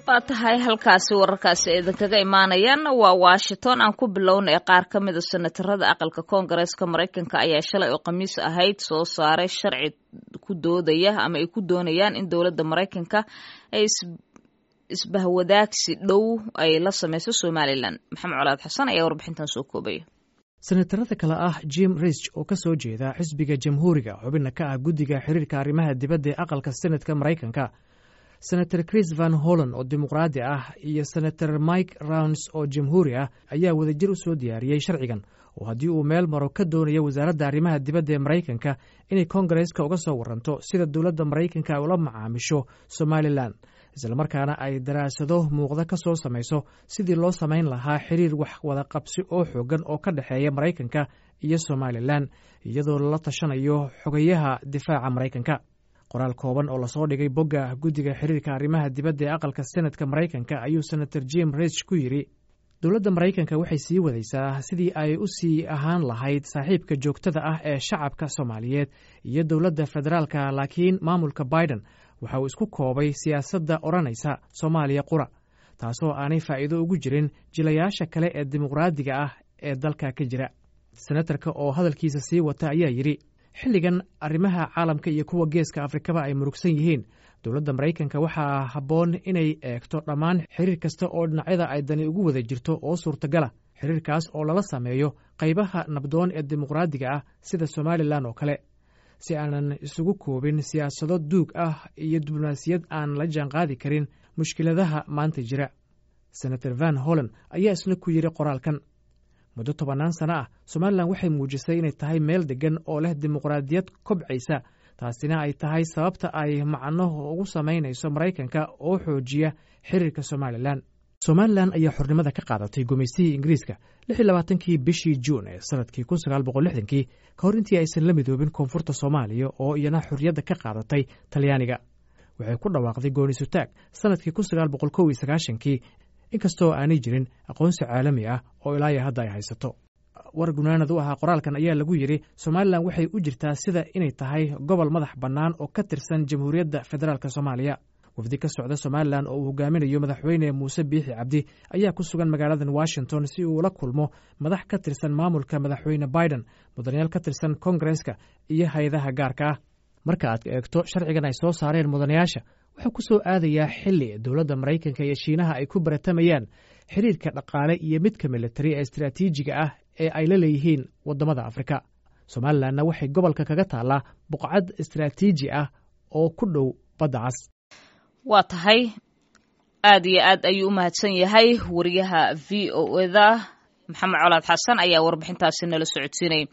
Waa tahay, halkaasi wararkaasi idinkaga imaanayaan waa Washington. Aan ku bilownay, qaar ka mida senatarada aqalka Koongareeska Maraykanka ayaa shalay oo Khamiis ahayd soo saaray sharci ku doodaya ama ay ku doonayaan in dowladda Maraykanka ay isbahwadaagsi dhow ay la sameyso Somalilan. Maxamed Colaad Xasan ayaa warbixintan soo koobaya. Senatarada kale ah Jim Risch oo ka soo jeeda xisbiga Jamhuuriga, xubinna ka ah guddiga xiriirka arrimaha dibadda ee aqalka Senatka Maraykanka, Senator Chris Van Hollen oo Dimuqraadi ah iyo Senator Mike Rounds oo Jamhuuri ah ayaa wadajir u soo diyaariyey sharcigan, oo haddii uu meel maro ka doonayo wasaaradda arrimaha dibadda ee Maraykanka inay Koongareeska uga soo waranto sida dowladda Maraykanka ay ula macaamisho Somalilan, islamarkaana ay daraasado muuqda ka soo samayso sidii loo samayn lahaa xiriir wax wada qabsi oo xoogan oo ka dhexeeya Maraykanka iyo Somalilan, iyadoo lala tashanayo xogayaha difaaca Maraykanka. Qoraal kooban oo lasoo dhigay bogga guddiga xiriirka arrimaha dibadda ee aqalka Senatka Maraykanka ayuu Senator Jim Risch ku yidhi: "Dowladda Maraykanka waxay sii wadaysaa sidii ay u sii ahaan lahayd saaxiibka joogtada ah ee shacabka Soomaaliyeed iyo dowladda federaalka, laakiin maamulka Biden waxa uu isku koobay siyaasadda odhanaysa Soomaaliya qura, taasoo aanay faa'iido ugu jirin jilayaasha kale ee dimuqraadiga ah ee dalka ka jira." Senatarka oo hadalkiisa sii wata ayaa yidhi: "Xilligan arrimaha caalamka iyo kuwa Geeska Afrikaba ay murugsan yihiin, dowladda Maraykanka waxaa habboon inay eegto dhammaan xiriir kasta oo dhinacyada ay dani ugu wada jirto oo suurtagala, xiriirkaas oo lala sameeyo qaybaha nabdoon ee dimuqraadiga ah sida Somalilan oo kale, si aanan isugu koobin siyaasado duug ah iyo diblomaasiyad aan la jaanqaadi karin mushkiladaha maanta jira." Senator Van Hollen ayaa isna ku yidhi qoraalkan: "Muddo tobannaan sano ah Somalilan waxay muujisay inay tahay meel deggan oo leh dimuqraadiyad kobcaysa, taasina ay tahay sababta ay macno ugu samaynayso Maraykanka oo xoojiya xiriirka Somalilan." Somalilan ayaa xornimada ka qaadatay gumaystihii Ingiriiska 26-kii bishii Juun ee sanadkii 1960-kii, ka hor intii aysan la midoobin koonfurta Soomaaliya oo iyana xorriyadda ka qaadatay Talyaaniga. Waxay ku dhawaaqday goonisutaag sanadkii 1991-kii, inkastoo aanay jirin aqoonsi caalami ah oo ilaa iyo hadda ay haysato. War gunaanad u ahaa qoraalkan ayaa lagu yidhi: "Somalilan waxay u jirtaa sida inay tahay gobol madax bannaan oo ka tirsan Jamhuuriyadda Federaalk Soomaaliya." Wafdi ka socda Somalilan oo uu hogaaminayo Madaxweyne Muuse Biixi Cabdi ayaa ku sugan magaaladan Washington si uu ula kulmo madax ka tirsan maamulka Madaxweyne Biden, mudanayaal ka tirsan Kongareska iyo hay-adaha gaarka ah. Marka aad eegto sharcigan ay soo saareen mudanayaasha, wuxuu ku soo aadayaa xilli dowladda Maraykanka iyo Shiinaha ay ku baratamayaan xiriirka dhaqaale iyo midka militari ee istaraatiijiga ah ee ay la leeyihiin waddamada Afrika. Somalilanna waxay gobolka kaga taallaa buqcad istaraatiiji ah oo ku dhow Badda Cas. Waa tahay, aad iyo aad ayuu u mahadsan yahay wariyaha VOA-da Maxamed Colaad Xasan ayaa warbixintaasi nala socodsiinayay.